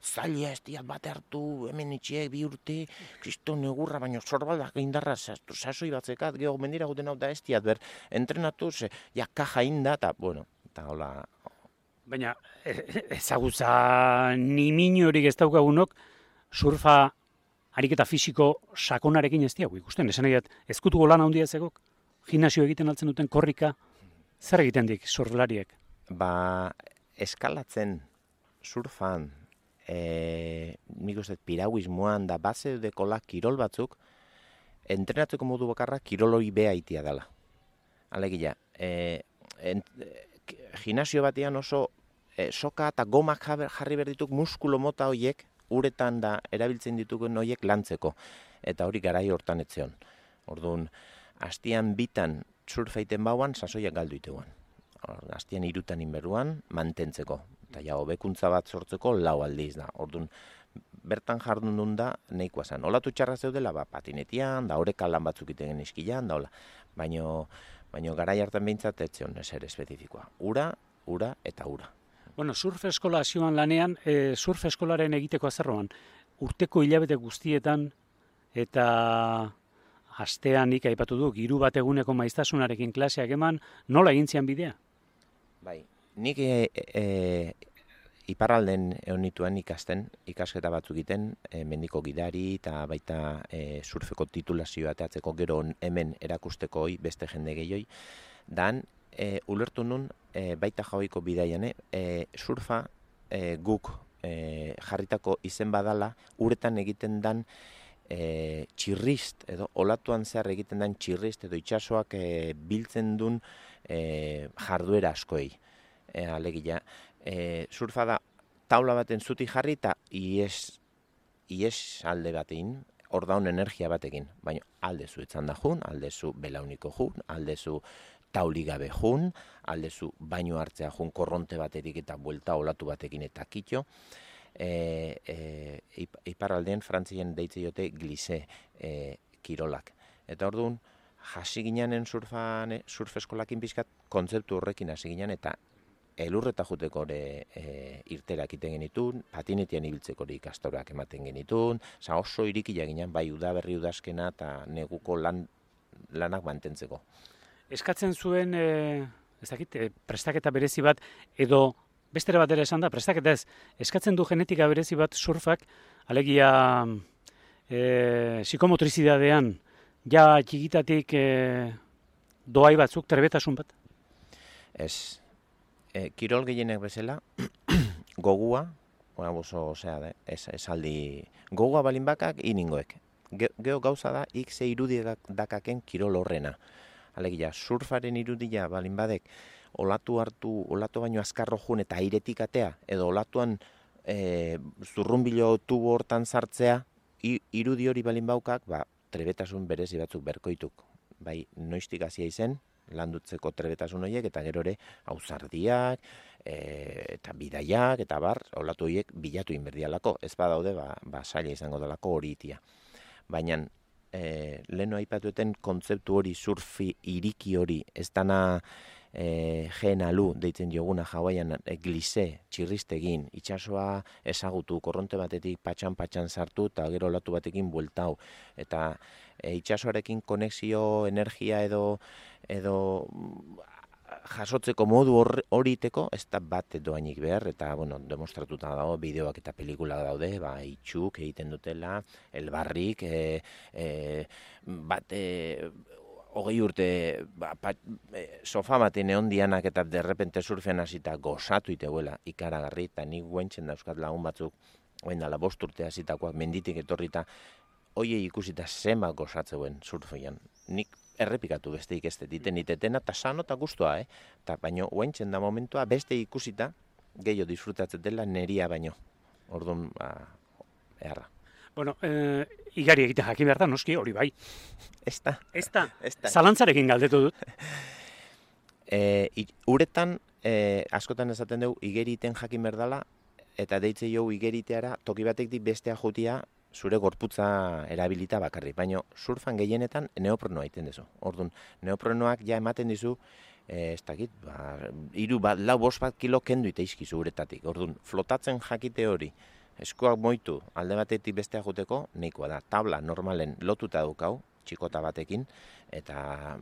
zaila ez diat bate hartu, hemen itxiek 2 urte, kriston negurra, baina zorbaldak indarra sasoi batzekat, geho mendira guten hau da ez diat, entrenatu, ja kaja inda, eta, bueno, eta hola. Baina, ezagutza niminorik ez daukagunok, surfa ariketa fisiko sakonarekin ez diago ikusten. Esan egiat, ezkutuko lan handia ezagok, gimnasio egiten altzen duten korrika, zer egiten dik surflariek? Eskalatzen surfan, nik uste piragüismoan da base dekola kirol batzuk, entrenatzeko modu bakarra kirol hori beha itia dela. Alegia, gimnasio batean oso soka eta gomak jarri berdituk muskulo mota horiek, uretan da erabiltzen ditugun horiek lantzeko. Eta hori garai hortan etzeon. Orduan, hastian bitan surfeiten bauan, sasoiak galdu iteguan. Hastian 3 inberruan mantentzeko. Eta ja, hobekuntza bat sortzeko 4 aldiz da. Orduan, bertan jardun duen da, nahikoa zen. Olatu txarra zeudela, patinetian, da horeka lan batzuk iten iskilan, da hola. Baina garai hartan behintzat etzion eser espezifikoa. Ura eta ura. Bueno, surf eskola zioan lanean, surf eskolaren egiteko azerroan, urteko hilabete guztietan eta astean nik aipatu du, 3 bat eguneko maiztasunarekin klaseak eman, nola egin zian bidea? Bai, nik iparralden egon nituen ikasten, ikasketa batzuk egiten, mendiko gidari eta baita surfeko titulazioa ateatzeko gero hemen erakusteko beste jende gehioi, dan ulertu nun baita jaoiko bidaian, surfa guk jarritako izen badala, uretan egiten dan txirrist, edo olatuan zehar egiten den txirrist, edo itxasoak biltzen duen jarduera askoei. Alegia, surfa da taula baten zuti jarri eta ies alde batein, hor daun energia batekin. Baina aldezu etzan da jun, aldezu belauniko jun, aldezu tauligabe jun, aldezu baino hartzea jun korronte baterik eta buelta olatu batekin eta kitxo. Iparraldean Frantzien deitze jote glise kirolak. Eta orduan, hasi gineanen surf eskolakin pixkat kontzeptu horrekin hasi ginean eta elurreta juteko irterak iten genitun, patinetian ibiltzeko ikastorak ematen genitun, oso irikia ginen, bai udaberri udazkena eta neguko lanak mantentzeko. Eskatzen zuen, prestaketa berezi bat, edo bestera batera esan da, prestaketa ez, eskatzen du genetika berezi bat surfak, alegia psikomotrizidadean, ja txikitatik doai batzuk, trebetasun bat? Ez, kirol gehienek bezala, gogua, esaldi, gogua balin bakak iningoek. Geo gauza da, ikze irudiak dakaken kirol horrena. Alegia, surfaren irudia balin badek, olatu baino azkarro jun eta airetik atea, edo olatuan zurrunbilo tubo hortan sartzea, irudi hori balin baukak, trebetasun berezi batzuk berkoituk. Bai, noiztik hasia izen, landutzeko trebetasun horiek, eta gero ere, auzardiak, eta bidaiak, eta olatu horiek bilatu inberdialako. Ez badaude, saila izango dalako hori itia. Baina, leheno aipatueten kontzeptu hori surfi iriki hori, ez dana GNLU deitzen dioguna Hawaiian glise, txirristegin, itxasoa ezagutu, korronte batetik patxan sartu eta gero olatu batekin bueltau. Eta itxasoarekin konexio, energia edo jasotzeko modu horiteko ez da bat doainik behar, eta demostratuta dago, bideoak eta pelikula daude, itxuk egiten dutela, elbarrik, bat 20 urte sofa baten egon dianak eta derrepente surfean hasita gozatu iteguela ikaragarri, eta nik guentzen dauzkat lagun batzuk, dala 5 urte hasitakoak menditik etorrita, hoiei ikusita zema gozatzeuen surfean. Nik errepikatu besteik ez diten itetena, eta sano eta guztua, baina guentzen da momentua beste ikusita gehiago disfrutatzen dela neria baino. Orduan, eharra. Bueno, igari egiten jakin behar da, noski hori bai. Ez da. Zalantzarekin galdetu dut. Uretan, askotan esaten dugu, igeriten jakin berdala, eta deitze jo igeriteara, toki batetik bestea jutia, zure gorputza erabilita bakarrik. Baina surfan gehienetan neoprenoa egiten duzu. Orduan, neoprenoak ja ematen dizu, ez dakit, 3-5 kilo kendu iteizkizu uretatik. Orduan, flotatzen jakite hori, eskuak moitu alde batetik bestea juteko, nahikoa da. Tabla normalen lotuta dukau, txikota batekin, eta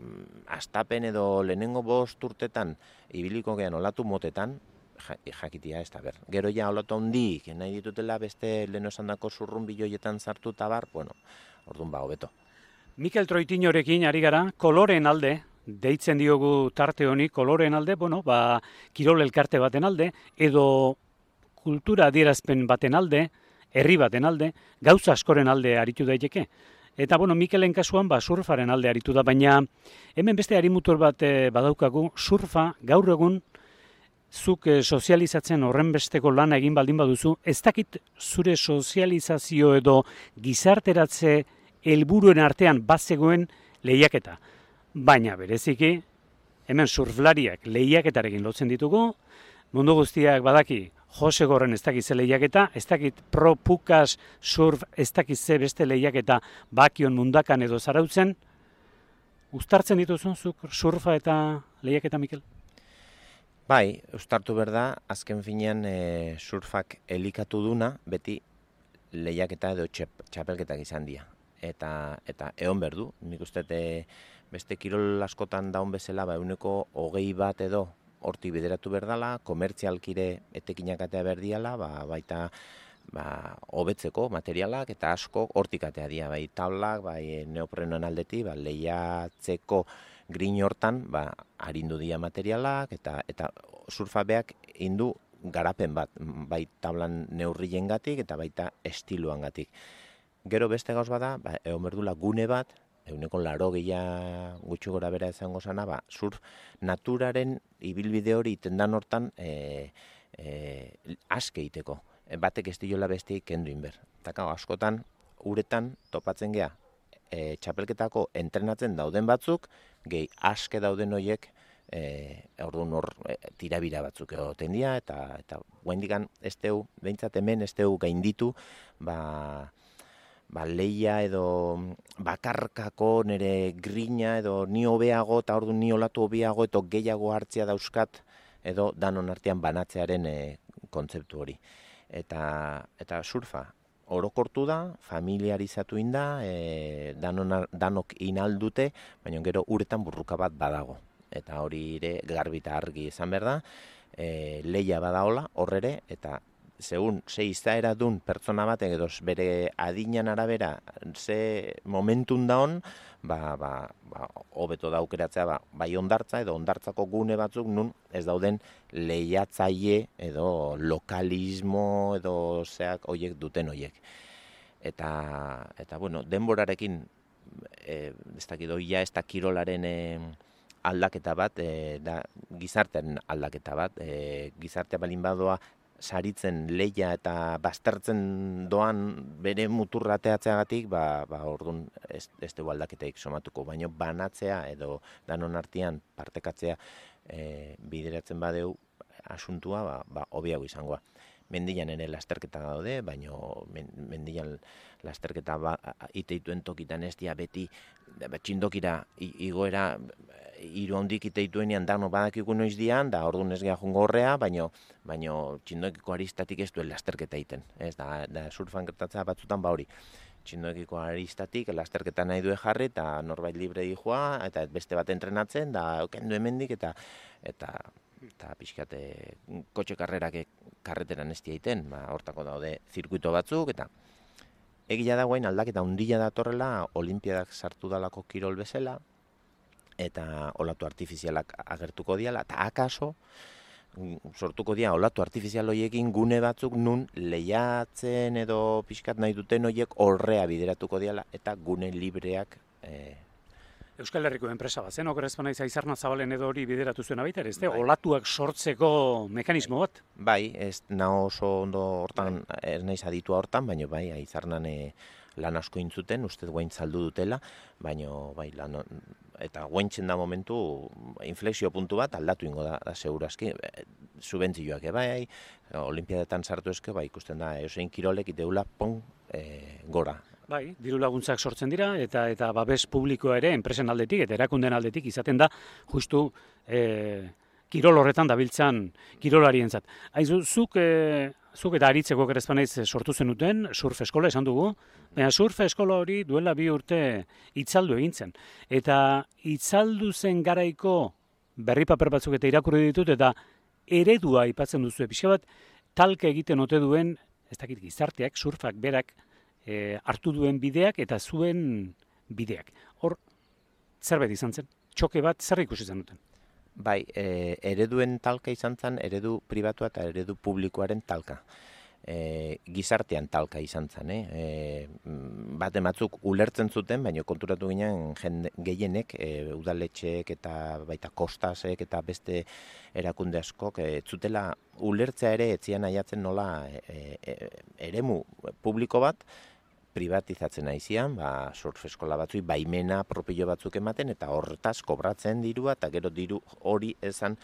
astapen edo lehenengo 5 urtetan ibiliko gean olatu motetan, jakitia ez da ber. Gero ja olatu handik, nahi ditutela beste lehen esandako zurrun biloietan sartu tabar, bueno, orduan hobeto. Mikel Troitiñorekin ari gara, koloreen alde, deitzen diogu tarte honi, koloreen alde, kirol elkarte baten alde, edo kultura adierazpen baten alde, herri baten alde, gauza askoren alde aritu daiteke. Eta, Mikelen kasuan, surfaren alde aritu da, baina hemen beste harimutur bat badaukagu, surfa gaur egun zuk sozializatzen horrenbesteko lana egin baldin baduzu, ez dakit zure sozializazio edo gizarteratze helburuen artean bazegoen lehiaketa. Baina bereziki, hemen surflariak lehiaketarekin lotzen ditugu, mundu guztiak badaki, Jose Gorren ez dakit ze lehiaketa, ez dakit Pro Pukas surf ez dakit ze beste lehiaketa Bakion Mundakan edo Zarautzen. Uztartzen dituzun zuk surfa eta lehiaketa, Mikel? Bai, uztartu berda, azken finean surfak elikatu duna, beti lehiaketa edo txapelketak izan dira. Eta egon berdu, nik uste beste kirol askotan daun bezala, 20% edo horti bideratu berdala, komertzialkire etekinakatea berdiala, baita hobetzeko materialak eta asko hortik atea dira, bai tablak, bai neoprenoen aldeti, lehiatzeko grin hortan, harindu dira materialak eta surfabeak indu garapen bat, bai tablan neurriengatik eta baita estiloangatik. Gero beste gauz bada, egon berdula gune bat, 80 gutxi gora bera izango zana, surf naturaren ibilbide hori itendan hortan aske iteko. Batek estiola besteik kendu inber. Eta askotan, uretan topatzen gea, txapelketako entrenatzen dauden batzuk, gehi aske dauden horiek, orduan hor tirabira batzuk egoten dira, eta guaindikan ez teu, behintzat hemen ez teu gainditu, lehia edo bakarkako nire grina edo ni hobeago eta orduan ni olatu hobeago eta gehiago hartzea dauzkat edo danon artean banatzearen kontzeptu hori. Eta surfa orokortu da, familiarizatu inda, danok inaldute, baina gero uretan burruka bat badago. Eta hori ere garbi eta argi izan behar da, lehia badaola horrere, eta segun, ze izaera dun pertsona batek edo bere adinan arabera ze momentun daun, hobeto da aukeratzea bai ondartza edo ondartzako gune batzuk nun ez dauden lehiatzaile edo lokalismo edo zeak hoiek duten hoiek. Eta denborarekin ez dakit oia ez da kirolaren aldaketa bat, da gizartearen aldaketa bat, gizartea balin badoa saritzen lehia eta baztertzen doan bere muturra ateatzeagatik, orduan ez dugu aldaketaik somatuko, baina banatzea edo danon artean partekatzea bideratzen badeu asuntua, hobiago izangoa. Mendian ere lasterketa daude, baina mendian lasterketa iteituen tokitan ez dia beti txindokira igoera hiru handik iteituenean dano badakiku noiz dian, da orduan ez geha jungo horrea, baina txindokiko aristatik ez duen lasterketa egiten. Ez da surfan gertatzea batzutan hori. Txindokiko aristatik lasterketa nahi due jarri eta norbait libre dijoa, eta beste bat entrenatzen, da kendu hemendik eta pixkate kotxe karrerak karreteran ez egiten, hortako daude zirkuito batzuk, eta egia da guain aldaketa handia datorrela, olimpiadak sartu dalako kirol bezala, eta olatu artifizialak agertuko diala, eta akaso sortuko dira olatu artifizial horiekin gune batzuk nun lehiatzen edo pixkat nahi duten horiek horrea bideratuko diala, eta gune libreak Euskal Herriko enpresa bat, zen okerrezpan naiz Aizarna Zabalen edo hori bideratu zuen baita, ez olatuak sortzeko mekanismo bat? Bai, ez naho oso ondo hortan, ez naiz aditua hortan, baina bai, Aizarnan lan asko intzuten, uste guain saldu dutela, baina bai, eta guaintzen da momentu inflexio puntu bat aldatu ingo da segurazki, subentzioak bai, olimpiadetan sartu eske, ikusten da, eusein kirolek iteula gora. Bai, diru laguntzak sortzen dira, eta babes publikoa ere, enpresen aldetik, eta erakunden aldetik, izaten da, justu kirol horretan dabiltzan kirolarientzat. Aizu, zuk eta aritzeko gerezpanaiz sortu zenuten, surf eskola esan dugu, baina surf eskola hori duela 2 urte itzaldu egintzen. Eta itzaldu zen garaiko berri paper batzuk eta irakurri ditut, eta eredua aipatzen duzu, pixka bat talka egiten ote duen, ez dakit gizarteak, surfak berak hartu duen bideak eta zuen bideak. Hor, zerbait izan zen? Txoke bat, zer ikusi zen duten? Bai, ereduen talka izan zen, eredu pribatua eta eredu publikoaren talka. Gizartean talka izan zen, bate batzuk ulertzen zuten, baina konturatu ginen gehienek, udaletxeek eta baita kostasek eta beste erakunde askok, zutela ulertzea ere etzian aiatzen nola eremu publiko bat, privatizatzen aizian, surf eskola batzui baimena propio batzuk ematen, eta horretaz kobratzen dirua, eta gero diru hori esan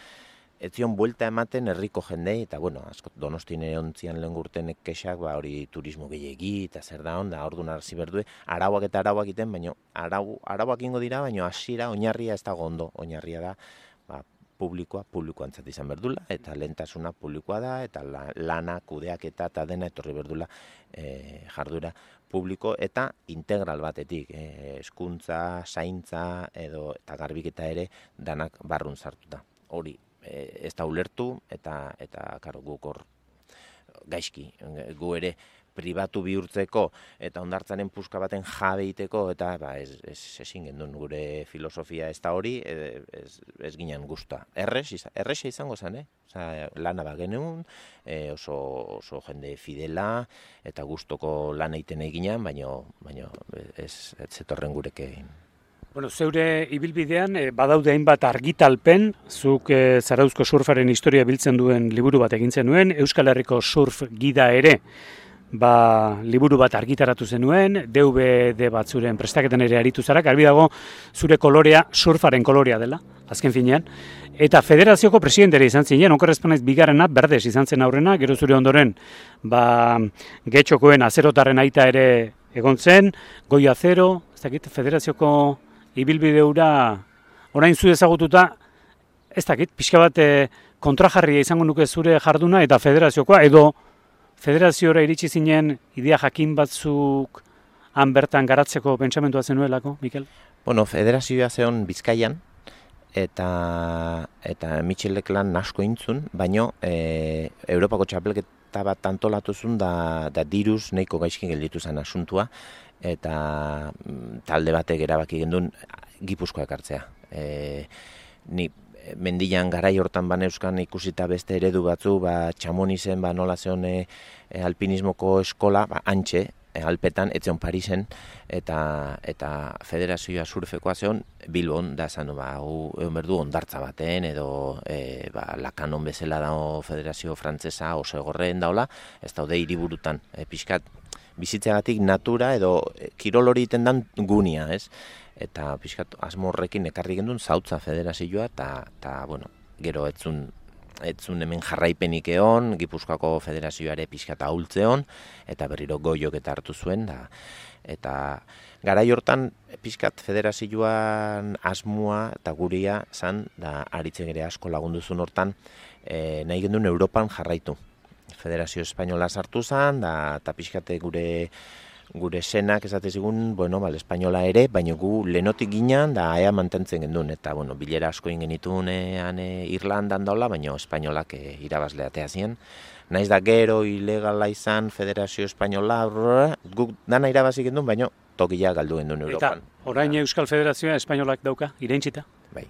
etzion buelta ematen herriko jendei, eta bueno, asko Donostin ontzian lehen gurtenek kexak, hori turismo gehiegi, eta zer da hon, da orduan arzi berdue, arauak eta arauak iten, baina arauak ingo dira, baina hasiera oinarria ez dago ondo, oinarria da, publikoantzat izan berdula, eta lehentasuna publikoa da, eta lana, kudeaketa eta dena etorri berdula jarduera publiko eta integral batetik, hezkuntza, zaintza eta garbiketa ere danak barrun sartuta. Hori ez da ulertu eta karo, guk hor gaizki, gu ere pribatu bihurtzeko eta hondartzaren puska baten jabe iteko, eta ezin gendun gure filosofia ez da hori, ez ginen guztua. Errexa izango zen, lana bagenuen, oso jende fidela eta gustoko lan egiten eginan, baina ez zetorren gurekin. Bueno, zeure ibilbidean badaude hainbat argitalpen, zuk Zarauzko surfaren historia biltzen duen liburu bat egin zenuen, Euskal Herriko surf gida ere, liburu bat argitaratu zenuen, DVD batzuren prestaketan ere aritu zara, garbi dago zure kolorea surfaren kolorea dela, azken finean, eta federazioko presidentere izan zinen, okerrezpanaiz bigarrena, Berdes izan zen aurrena, gero zure ondoren, Getxokoen azerotarren aita ere egon zen, Goi Azero, ez dakit, federazioko ibilbide hura orain zu ezagututa, ez dakit, pixka bat kontrajarria izango nuke zure jarduna eta federaziokoa, edo federaziora iritsi zinen idea jakin batzuk han bertan garatzeko pentsamentua zenuelako, Mikel? Bueno, federazioa zeon Bizkaian, eta Michelek lan asko intzun, baino Europako txapelketa bat antolatu zuen da diruz nahiko gaizki gelditu zen asuntua, eta talde batek erabaki gendun Gipuzkoa ekartzea. Ni mendian garai hortan baneuzkan ikusita beste eredu batzu, Txamonizen nola zeon alpinismoko eskola, antxe, Alpetan, etzion Parisen, eta federazioa surfekoa zeon Bilbon, da zan, egon berdu ondartza baten, edo Lakanon bezala dago federazio frantzesa oso egorreen daola, ez daude hiriburutan, pixkat bizitzeagatik natura edo kirol hori iten dan gunia, ez? Eta pixkat asmorrekin ekarri gendun Zautza federazioa, eta bueno, gero etzun hemen jarraipenik egon, Gipuzkoako federazioare pixkat ahultzeon, eta berriro Goiok eta hartu zuen, eta garai hortan pixkat federazioan asmoa eta guria zan, da aritzen ere asko lagunduzun hortan, nahi gendun Europan jarraitu. Federazio Espainola sartu zen, eta pixkate gure senak esate zigun, espainola ere, baina gu lehenotik ginen, da ea mantentzen gendun, eta bilera asko ingenitun Irlandan daula, baina espainolak irabazle atea ziren. Naiz da gero ilegala izan Federazio Espainola, guk dana irabazi gendun, baina tokia galdu gendun Europan. Eta orain Euskal Federazioa espainolak dauka, irentxita? Bai.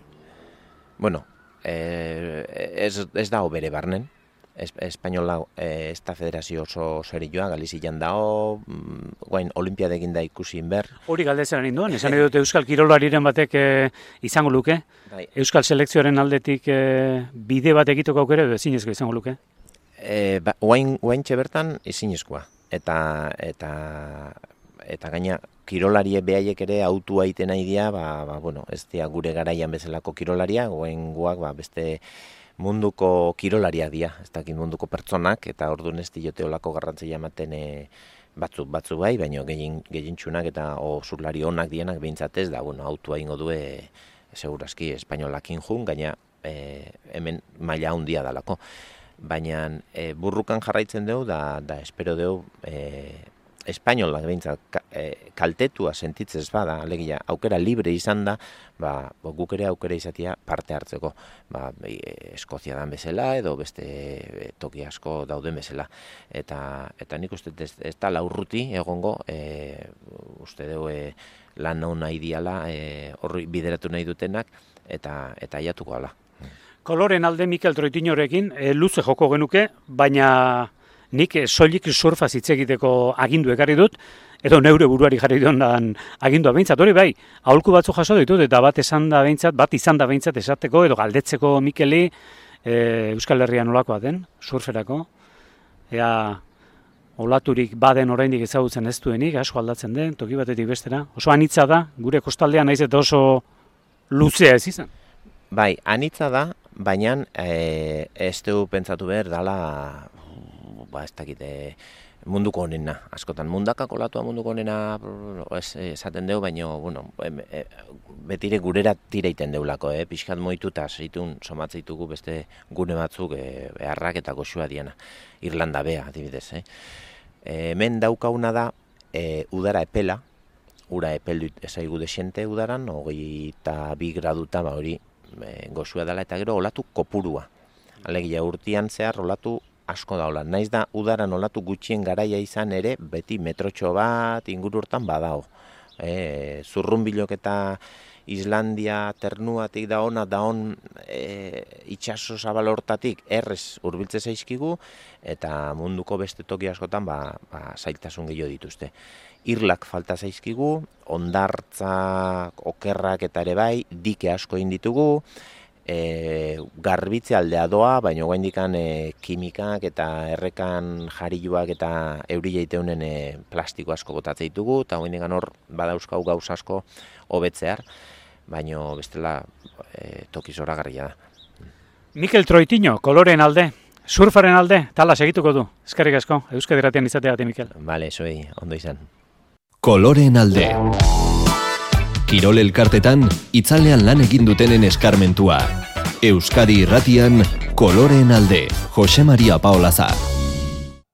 Bueno, ez dago bere barnen. Espainola ez da federazio oso serioa, Galizian dago, guain olimpiadekin da ikusi inber. Hori galdetzen ninduan, esan edut Euskal Kirolariren batek izango luke, bai. Euskal selekzioaren aldetik bide bat egiteko aukera edo ezinezko izango luke? Guain txebertan ezinezkoa, eta gaina kirolarie behaiek ere autua iten nahi dira, bueno, ez dira gure garaian bezalako kirolaria, goengoak beste munduko kirolariak dira, ez dakit munduko pertsonak, eta orduan ez diote olako garrantzia ematen batzu bai, baina gehientsunak eta zurlari onak dienak behintzat ez da, bueno, autua ingo du segurazki espainolakin jun, gaina hemen maila handia dalako. Baina burrukan jarraitzen dugu, da espero dugu espainolak behintzat kaltetua sentitzez bada, alegia aukera libre izan da, guk ere aukera izatea parte hartzeko. Eskozia dan bezala edo beste toki asko dauden bezala. Eta nik uste ez da laurruti egongo, uste dugu lan hau nahi diala, horri bideratu nahi dutenak, eta aiatuko ala. Koloren alde Mikel Troitiñorekin luze joko genuke, baina nik soilik surfaz hitz egiteko agindu ekarri dut, edo neure buruari jarri dionan agindua behintzat, hori bai, aholku batzu jaso ditut, eta bat izan da behintzat esateko, edo galdetzeko Mikeli Euskal Herria nolakoa den, surferako, ea olaturik baden oraindik ezagutzen ez duenik, asko aldatzen den, toki batetik bestera, oso anitza da, gure kostaldean naiz eta oso luzea ez izan. Bai, anitza da, baina ez dugu pentsatu behar dala, ez dakite, munduko honena, askotan. Mundakako latua munduko honena esaten dugu, baina, bueno, betire gurera tireiten deulako, pixkat moitu eta zeitun somatzeitugu beste gune batzuk beharrak eta goxua diana. Irlanda bea, adibidez. Hemen daukauna da, udara epela, ura epeldu ezaigu desente udaran, 22 graduta hori goxua dela, eta gero olatu kopurua. Alegia urtean zehar olatu asko daula. Naiz da udaran olatu gutxien garaia izan ere, beti metrotxo bat inguru hortan badao. Zurrunbilok eta Islandia ternuatik da on itxaso zabal hortatik errez hurbiltze zaizkigu, eta munduko beste toki askotan zailtasun gehiago dituzte. Irlak falta zaizkigu, hondartza, okerrak eta ere bai, dike asko egin ditugu, garbitze aldea doa, baina oraindikan kimikak eta errekan jariluak eta eurila iteunen plastiko asko botatzen ditugu, eta oraindikan hor badauzkau gauz asko hobetzear, baina bestela toki zoragarria da. Mikel Troitiño, koloren alde, surfaren alde, tala segituko du. Eskerrik asko, Euskadi Irratian izateagatik, Mikel. Bale, zuei, ondo izan. Koloren alde. Kirol elkartetan, itzalean lan egin dutenen eskarmentua. Euskadi Irratian, Koloren alde, Jose Maria Paolaza.